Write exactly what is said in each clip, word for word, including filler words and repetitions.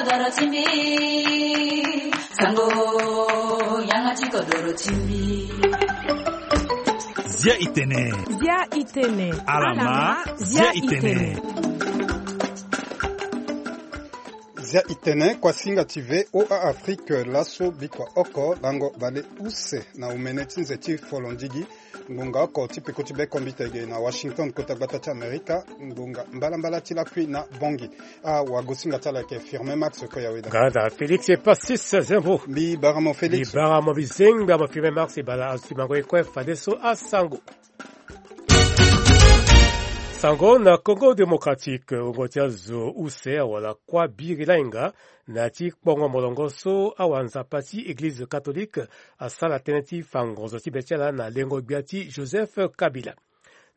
Doro ti mbi, sango, yanga ti kodoro ti mbi. Zia i tene. Zia i tene. Alama, zia i tene. Zia i tene, kuasinga ti V O A Afrique, laso bikua oko lango bale use na omene ti nze ti folondigi. Ngonga oko ti peko ti bekombite ge na Washington, kota gbata ti Amerika, ngonga mbalambala ti lakui na Bangui. Awagosinga ti ala ayeke Firmin Max Koyaweda. Nga da Félix Passis Zembo. Mbi bara mo Félix. Mbi bara mo bizenga mo Firmin Max, e bala azo ti mango ye kue fadeso asango. Sango na Congo Démocratique, wungo ti azo use awara kuâ biri lainga na ti kpongo molongo so awanzapa ti Eglize Catholique asara tënë ti fa ngonzo ti be ti ala na lengo gbia ti Joseph Kabila.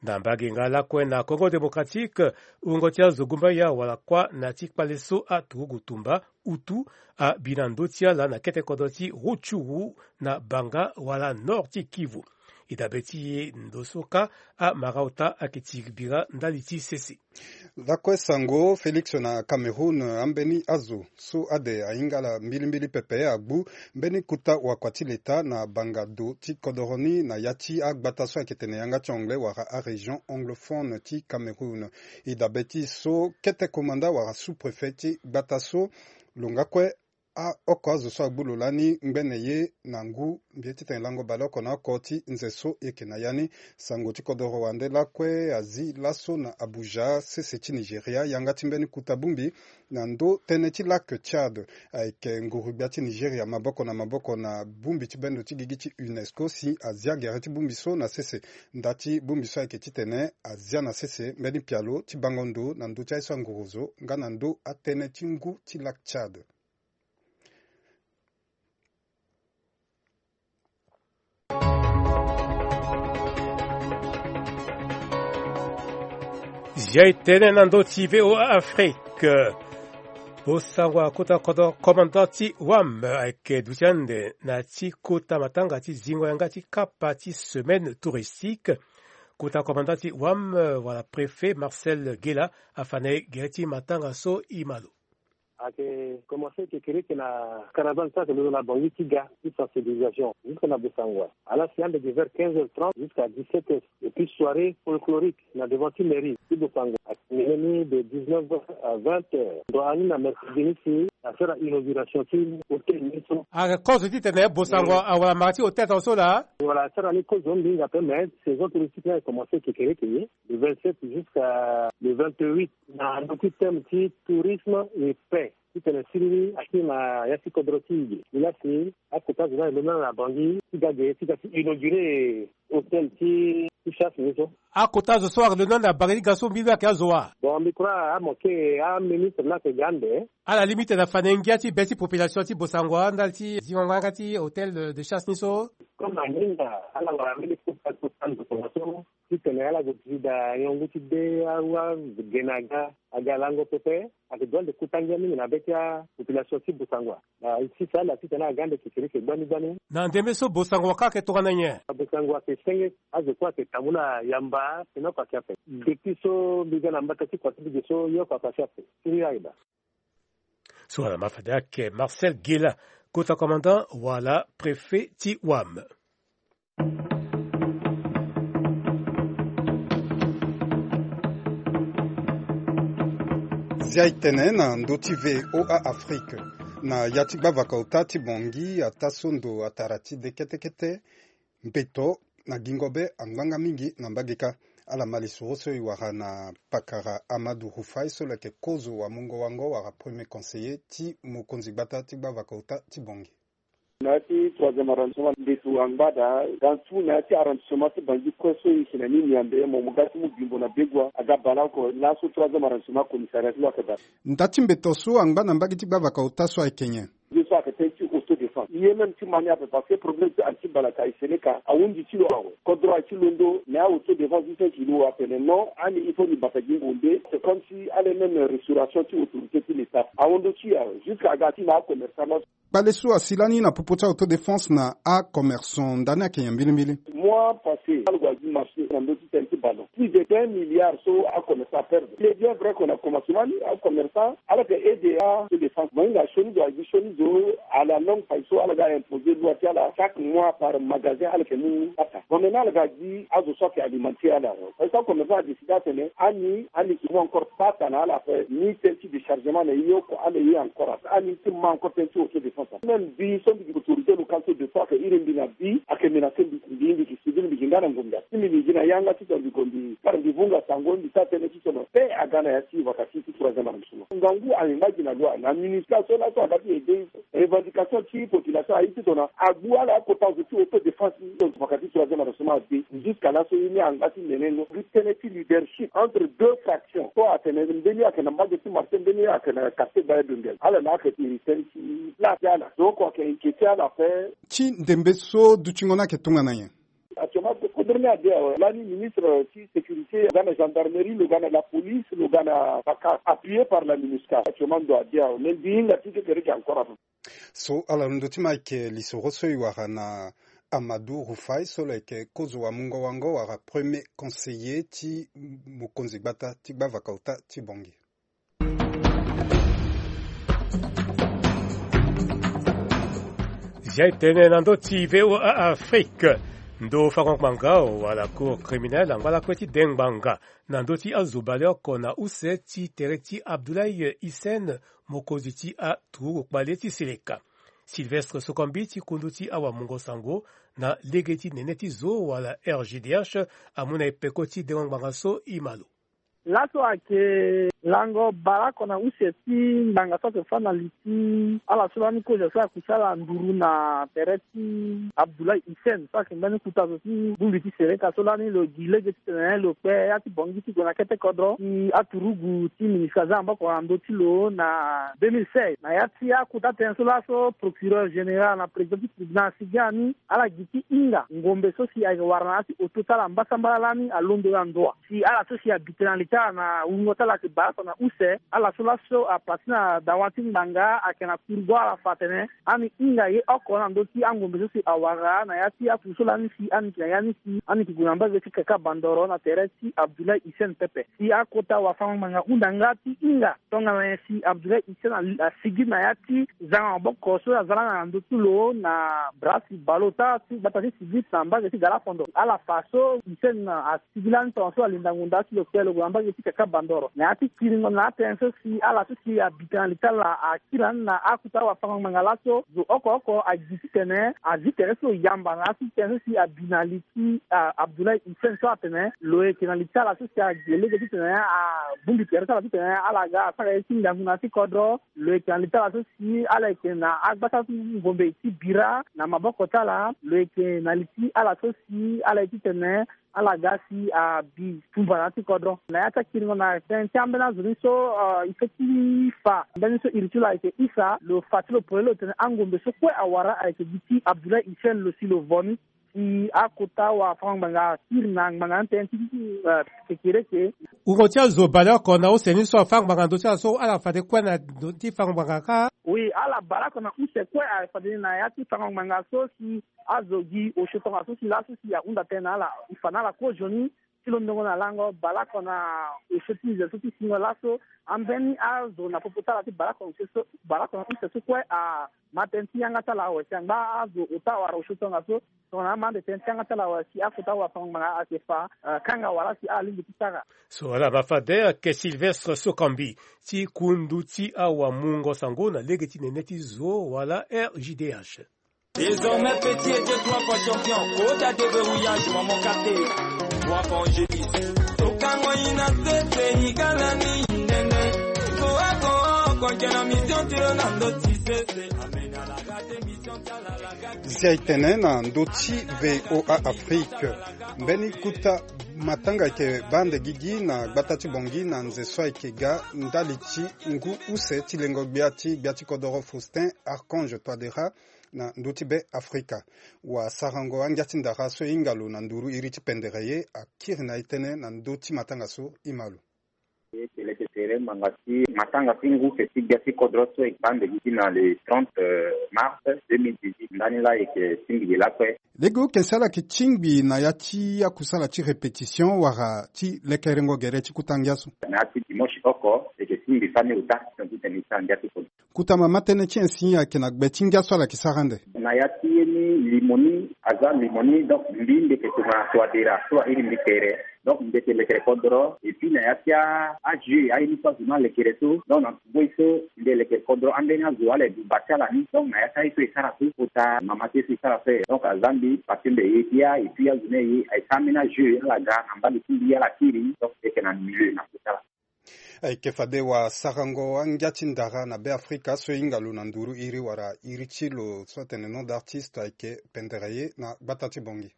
Na mbage nga lakue na Congo Démocratique, wungo ti azo gumbaya wala kuâ na ti kpale so aturugu tumba utu abi na ndö ti ala na kete kodro ti Rutshuru na Banga wala nord ti Kivu. E dabe ti e ndo so kâ amara ota ayeke tiri bira ndali ti sese. Lakue sango Félix na Cameroun, ambeni azo so ade ahinga ala mbilimbili pepe agbu mbeni kota wakua ti leta na banga do ti kodoro ni na ya ti agbata so ayeke tene yanga ti anglais wala arégion anglophone ti Cameroun. E dabe ti so kete komanda wala sous-préfet ti gbata so lo nga kue aoko azo so agbu lo lani ngbene ye na ngu mbi ye titene lango baleoko na oko ti nze so e yeke na ya ni. Sango ti kodoro wande lakue azi laso na Abuja, sese ti Nigeria, yanga ti mbeni kota bongbi na ndö tënë ti lac Tchad. Ayeke nguru-gbia ti Nigeria maboko na maboko na bongbi ti bendo ti gigi ti UNESCO si azia gere ti bongbi so na sese. Nda ti bongbi so ayeke titene azia na sese mbeni pialo ti bango ndo na ndö ti aye so anguru zo nga na ndö atënë ti ngu ti lac Tchad. Zia e tene na ndö ti V O A Afrique. Bosango akota kodro commandant ti wam ayeke duti ande na ti kota matanga ti zingo yanga ti kapa ti semaine touristique. Kota commandant ti wam wala préfet Marcel Gela afa na e gere ti matanga so e ma lo. Ayeke commencé kekereke na caravane so ayeke londo na Bangui ti ga ti sensibilisation jusque na Bossangoa. Ala si ande de vers quinze heures trente jusqu'à dix-sept heures. Et puis soirée folklorique na devant ti mairie ti Bossangoa. Ayeke mené ni de dix-neuf heures à vingt heures. Ndo ani na mercredi ni si asara inauguration ti hôtel ni so. Ayeke kozo titene Bossangoa awara mara ti hôtel tongaso laa. Voilà, asara ni kozo mingi ape, mais saison touristique ni ayeke commencé kekereke ye. Le vingt-sept jusqu'à le vingt-huit na ndö ti thème ti tourisme et paix. Titene siriri akiri na ya ti kodro ti e ge. Ni la si akota zo ni ayeke londo na Bangui ti ga ge ti ga ti inauguré hôtel ti ti chasse ni so. Akota zo so ayeke londo na Bangui ti ga so mbi lo ayeke azo wa? Bon, mbi crois amoke aministre ni ayeke ga ande. Ala lingbi titene afa na e ngia ti be ti population ti Bossangoa ndali ti zingo yanga ti hôtel de chasse ni so. Comme aninga ala wara mbeni kota kota ndo tongaso. Titene ala zo ti da niongo ti de awa gene aga aga lango pepe. Ayeke doit nde kota ngia mingi na be ti apopulation ti Bossangoa. Sisa ala titene aga nde kekereke gbani gbani. Na ndembe so Bossangoa kâ ayeke tongana nyen? Bossangoa ayeke senge azo kue ayeke tambula yamba tene oko ayeke ape. Depuis so mbi ga na mbata ti kua ti mbi ge so ye oko ayeke asi ape. Siriri ayeke daa. So wala ma fade ayeke Marcel Gela, kota commandant wala préfet ti wam. Zia e tene na ndö ti V O A Afrique. Na ya ti gbavaka ota ti Bangui ataa so ndo atara ti de kete kete. Mbeto na gingo be angbanga mingi na mbage kâ. Ala ma lisoro so e wara na pakara Amadou Rufai so lo yeke kozo wa mungo wango wala premier conseiller ti mokonzi gbata ti gbavaka ota ti Bangui. Na ya ti troisième arrondissement mbeto angba daa dans tout na ya ti arrondissement ti Bangui kue so e yeke na ni Niambe, mo mo ga ti mu Bimbo na Begoua aga baleoko laso troisième arrondissement commissariat ti lo ayeke bale. Nda ti mbeto so angba na mbage ti gbavaka ota so ayeke nyen? Ye so ayeke tënë ti autodéfense ye même ti ma ni ape parce que problème ti anti balaka e sene ka ahunzi ti lo awe. Kodro aye ti londo mais a autodéfense ti tënë ti lo atene non, ani il faut ni bata gi ngonde. C'est comme si ala même restauration ti autorité ti l'état ahondo ti e awe jusqu'à aga ti ma acommerçant. Kpale so asi lani na popo ti a-autodéfense na acommerçant ndani ayeke nyen mbilimbili? Mois passé, ala gue gi marché na ndö ti tene ti ballon. Plus de vingt milliards so acommerçant aperdre. Il est bien vrai que na commencement ni acommerçant ala yeke aide a-autodéfense. Mo hinga sioni zo, agi sioni zo à la longue faille so ala ga imposer loi ti ala chaque mois par magasin ala yeke mu kata. Bon, maintenant ala ga gi azo so ayeke alimenter ala. Parce que acommerçant adécide atene ani, ani yeke mu encore kpata na ala ape ni tene ti déchargement na e, ye oko ala ye encore ape. Ani ti ma encore tene ti autodéfense ape. Même mbi so mbi yeke autorité locale so de fois ayeke iri mbi na bi, ayeke menacer mbi, mbi, mbi yeke civil, mbi yeke nga na ngombe ape. Si mbi, mbi gi na yanga titene mbi gue mbi kara mbi vunga sango, mbi sara tënë titene paix aga na ya ti vaka ti, ti troisième arrondissement. Ngangu ayeke ngba gi na loi na MINUSCA so laso aga ti aider. Revendication ti population aye titene agbu ala akota zo ti autodéfense ni. Donc vaka ti troisième arrondissement abe. Jusqu'à laso ye ni angba ti nene no. Gi tënë ti leadership entre deux fractions. So atene mbeni ayeke na mbage ti marché, mbeni ayeke na quartier Baye Dondel. Ala na ayeke iri tënë ti place ti ala. Zo oko ayeke inquiéter ala ape. Ti ndembe so dutingo ni ayeke tongana nyen? Actuellement, kodro ni ade awe. Lani ministre ti sécurité, lo ga na gendarmerie, lo ga na la police, lo ga na baka, appuyé par la MINUSCA. Actuellement, ndo ade awe. Mais mbi hinga ti kekereke encore ape. So ala londo ti ma ayeke lisoro so e wara na Amadou Rufai so lo yeke kozo wa mungo wango wala premier conseiller ti mokonzi gbata ti gbavaka ota ti Bangui. Zia e tene na ndö ti V O A Afrique. Ndo fango ngbanga wala cour criminel angba lakue ti de ngbanga na ndö ti azo baleoko na use ti tere ti Abdoulaye Hissène, mokonzi ti aturugu kpale ti Seleka. Sylvestre Sokombi ti kundu ti awamungo sango na lege ti nene ti zo wala R G D H amu na e peko ti dengo ngbanga so e ma lo. Laso ayeke lango baleoko na use ti ngbanga so ayeke fâ na li ti ala so lani kozo so ayeke sara nduru na tere ti Abdoulaye Hissène so ayeke mbeni kota zo ti bongbi ti Seleka so lani lo gi lege titene lo kpe ya ti Bangui ti gue na kete kodro ti aturugu ti MINUSCA aza na maboko na ndö ti lo na deux mille seize. Na ya ti akota tënë so laso procureur général na président ti tribunal asigi ani ala gi ti hinga ngombe so si ayeke wara na ya ti oto ti ala mbasambala lani alondo na ndo wa. Si ala so si abi tene na li ti ala na wungo ti ala ayeke baleoko na use, ala so laso apara ti na dawa ti ngbanga ayeke na kuru go ala fa atene ani hinga ye oko na ndö ti angombe so si awara na ya ti afu so lani si ani yeke na ya ni si ani yeke gue na mbage ti kaka bandoro na tere ti Abdoulaye Hissène pepe. Si akota wafango ngbanga hunda nga ti hinga tongana nyen si Abdoulaye Hissène ali-, asigi na ya ti zanga maboko so aza lani na ndö ti lo na bras ti baleota ti gbata ti Sibit na mbage ti Galafondo. Ala fa so Hissène asigi lani tongaso alinda ngonda ti lo kpe lo gue na mbage ti kaka bandoro. Na ya ti kiringo na atënë so si ala so si abi tene na li ti ala akiri lani na akota wafango ngbanga laso zo oko oko agi titene azi tere so lo yamba na ya ti tënë so si abi na li ti, ah, Abdoulaye Hissène so atene lo yeke na li ti ala so si agi lege titene abongbi tere ti ala titene ala ga asara ye ti ngangu na ya ti kodro. Lo yeke na li ti ala so si ala yeke na agbata ti ngombe ti bira na maboko ti ala. Lo yeke na li ti ala so si ala ye titene ala ga si abi tumba na ya ti kodro. Na ya ti akiringo na tënë ti ambeni azo ni so, ah, e feti fa mbeni so iri ti lo ayeke isa, lo fa ti lo polele lo tene angombe so kue awara ayeke gi ti Abdoulaye Hissène lo si lo vo ni. Si akota wafango ngbanga akiri na ngbanga ni tënë ti, eh, kekereke. Wungo ti azo baleoko na use ni so afango ngbanga na ndö ti ala so ala fade kue na ndö ti fango ngbanga kâ? Oui, ala baleoko na use kue afade na ya ti fango ngbanga so si azo gi osio tongaso si laso si ahunda tënë na ala, e fa na ala kozoni ti londongo na lango baleoko na osio ti nze so ti singo laso. Ambeni azo na popo ti ala ti baleoko na use so, baleoko na use so kue ama tënë ti yanga ti ala awe si angba azo ota wala osio tongaso. Tongana ama ande tënë ti yanga ti ala awe si akota wafango ngbanga ayeke fa, eh, kanga wala si ala lingbi ti sara. So ala ma fade ayeke Sylvestre Sokambi ti kundu ti awamungo sango na lege ti nene ti zo wala R J D H. Désormais petit était trois fois champion. Kota déverrouillage, maman kate. Trois fois angéliste. Tokango ina sese, ikala ni nene. Koa koa koa kena mission tiro na ndoti sese. Amena la gate mission tala la gate. Zia e tene na ndö ti V O A Afrique. Mbeni kota matanga ayeke baa ande gigi na gbata ti Bangui na nze so ayeke ga ndali ti ngu use ti lengo gbia ti gbia ti kodoro Faustin Archange Touadéra na ndö ti Be Afrika. Wasarango angia ti ndara so e hinga lo na nduru iri ti pendere ye akiri na e tënë na ndö ti matanga so e ma lo. Tere manga ti matanga ti ngu ke ti gbia ti kodro so e bande gi ti na le trente mars deux mille dix-huit, ndani laa e ke tingbi gi lakue. Lege oke si ala yeke tingbi na ya ti akusala ti répétition wala ti lekerengo gere ti kuta ngia so? Na ya ti dimanche oko e ke tingbi fani ota, titene e sara ngia ti kodro. Kuta mama tënë ti nyen si ayeke na gbe ti ngia so ala yeke sara ande? Na ya ti ye ni limo ni, aza limo ni, donc mbi mbi yeke tongana so adera so airi mbi tere. Donc mbi yeke lekere kodro, et puis na ya ti a- ajeu aye ni so azo ni alekere so, donc na ngoi so mbi elekere kodro ambeni azo ala e buba ti ala ni. Donc na ya ti aye so e sara so kota mama ti ye so e sara so, donc aza mbi parce que mbi e ye bia, et puis azo ni aye aye sara ambeni ajeu ala ga na mbage ti mbi ala kiri, donc mbi yeke na milieu na kota ala. Ayeke fade wasarango angia ti ndara na Beafrika so e hinga lo na nduru iri wala iri ti lo so atene nom d'artiste ayeke pendere ye na gbata ti Bangui.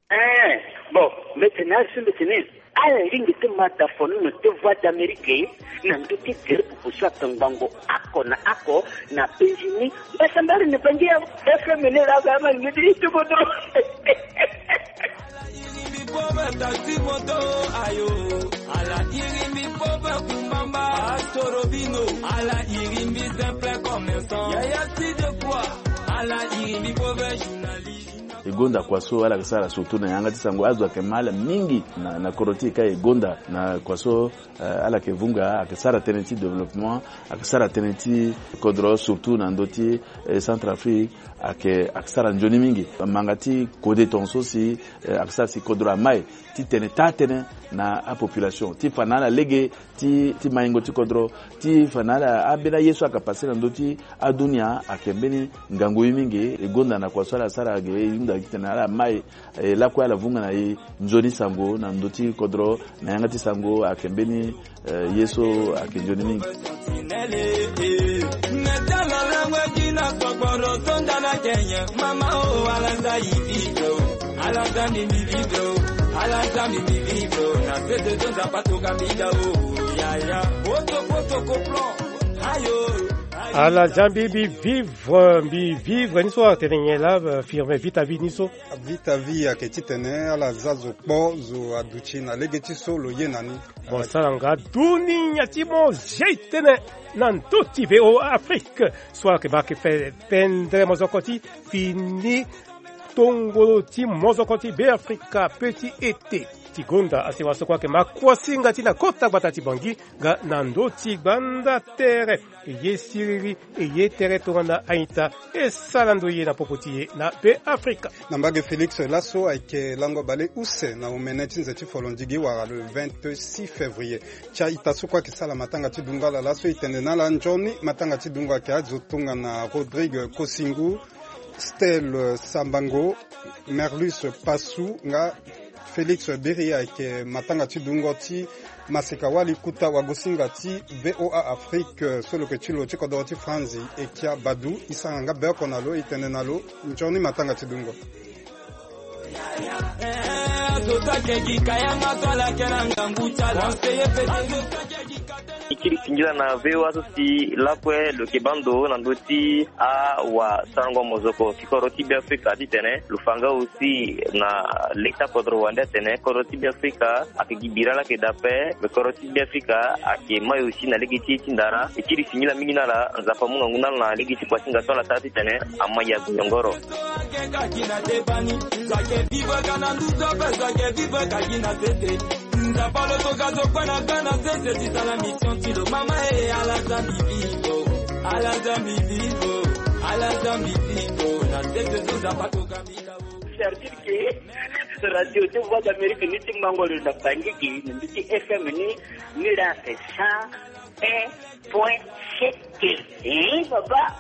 Eh, bon, mbi tene asi mbi tene ala lingbi ti ma dafono na te Voix d'Amérique na ndö ti tere pupu so atongbango ako na ako na penzi ni. Mbasambari ni bangi ya F M ni la ga ma lingbi ti tubo dro. Ala iri mbi pauvre taxi moto, ayo. Ala iri mbi pauvre kumbamba, astorobino. Ala iri mbi simple commerçant, yaya si de quoi. Ala iri mbi pauvre journaliste. E gonda kua so ala yeke sara surtout na yanga ti sango, azo ayeke ma ala mingi na, na kodro ti e ka e gonda na kua so. Eh, ala yeke vunga, ayeke sara tënë ti développement, ayeke sara tënë ti kodro, surtout na ndö ti, eh, Centrafrique, ayeke, ayeke sara nzoni mingi. Manga ti kode tongaso si, eh, ayeke sara si kodro amai titene taa tënë na apopulation ti fa na ala lege ti, ti maingo ti kodro, ti fa na ala ambeni aye so ayeke passe na ndö ti adunia, ayeke mbeni ngangu ye mingi. E gonda na kua so ala sara ge, e hunda titene ala mai. E lakue ala vunga na e nzoni sango na ndö ti kodro, na yanga ti sango ayeke mbeni, eh, ye so ayeke nzoni mingi. Ala za mbi mbi vivre, mbi vivre ni so atene nyen laa, eh, Firmin, vie ta vie ni so? Vie ta vie ayeke titene ala za zo kpo, zo aduti na lege ti so lo ye na ni. Bon, sara nga dunia ti mo zia e tënë na ndö ti V O A Afrique so ayeke baa ayeke fe pendere mozoko ti fini tongolo ti mozoko ti Beafrika pe ti ete. Ti gonda asi wasoko ayeke ma kuasinga ti na kota gbata ti Bangui nga na ndö ti gbanda tere. E ye siriri, e ye tere tongana a-ita, e sara ndo ye na popo ti e na Beafrika. Na mbage Félix laso ayeke lango bale use na omene ti nze ti folondigi wala le vingt-six février. Ti a-ita so kue ayeke sala matanga ti dungo ala laso e tene na ala nzoni matanga ti dungo ayeke azo tongana Rodrigue Kosingu, Stelle Sambango, Merlus Passou nga Félix Biri ayeke matanga ti dungo ti maseka wali kuta wagosinga ti V O A Afrique so lo yeke ti lo ti kodoro ti Franzi Ekia Badou. E sara nga be oko na lo, e tene na lo nzoni matanga ti dungo. E kiri singila na V O A so si lakue lo yeke baa ndo na ndö ti awasarango mozoko ti kodro ti Beafrika titene lo fa nga aussi na leta kodro wande atene kodro ti Beafrika ayeke gi bira laa ayeke daa ape. Me kodro ti Beafrika ayeke mai aussi na lege ti ye ti ndara. E kiri singila mingi na ala, Nzapa amu ngangu na ala na lege ti kuasinga so ala sara titene amai ya gonyongoro. C'est-à-dire que Radio de Voix d'Amérique ni ti mango lo na Bangui gi na mbi ti F M ni, ni la fait cent un point sept. Eh, papa.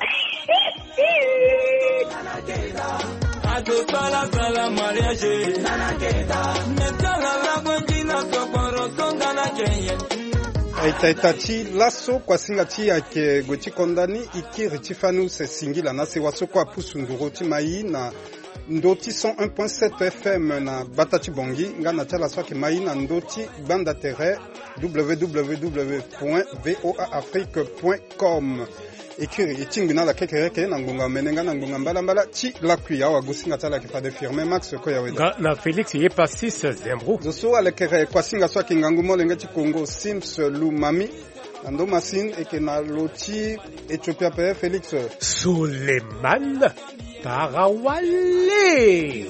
Aita ita ti laso kuasinga ti ayeke gue ti konda ni. E kiri ti fani use singila na sewa so kue apusu nduru ti mai na ndö ti cent un point sept F M na gbata ti Bangui nga na ti ala so ayeke mai na ndö ti gbanda tere W W W point V O A Afrique point com. E kiri e tingbi na ala kekereke na ngbonga omene nga na ngbonga mbalambala ti lakui. Awagosinga ti ala ayeke fade Firmin Max Koyaweda nga na Félix Yepasis Zembrou. Zo so alekere kuasinga so ayeke ngangu molenge ti Congo Sims Lumami. Ando Masin eke na lo ti Ethiopia pe Félix Soleman Tarawale.